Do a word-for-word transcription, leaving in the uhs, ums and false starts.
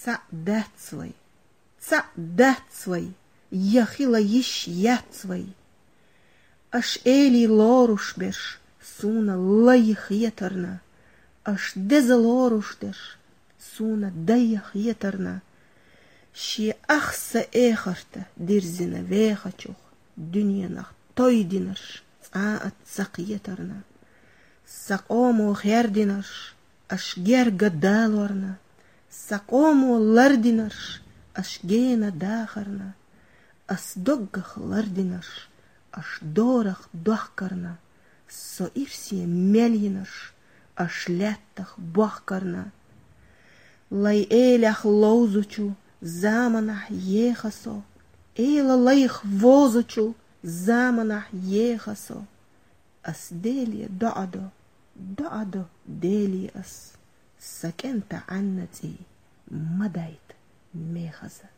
Цаӏ дац вай, цаӏ дац вай, я хила йиш яц вай. Аш эли лоруш берш, суна лай хетарна, аш деза лоруш дерш, суна дай хетарна. Ши ахса эхарта дирзина вехачух, дуниянах той динарш, цӏа а цакъ етарна. Сакъомо хер динарш, аш герга далорна. Сакъомо лардинарш, аш гена дахарна. Ас доггах лардинарш, аш дорах дохкарна. Со ирсия мелинарш, аш леттах бохкарна. Лай элях лоузучу заманах ехасо, эла лайх возучу заманах ехасо. Ас делия доадо, доадо делия ас. Сакента анна ци мадайт мехаза.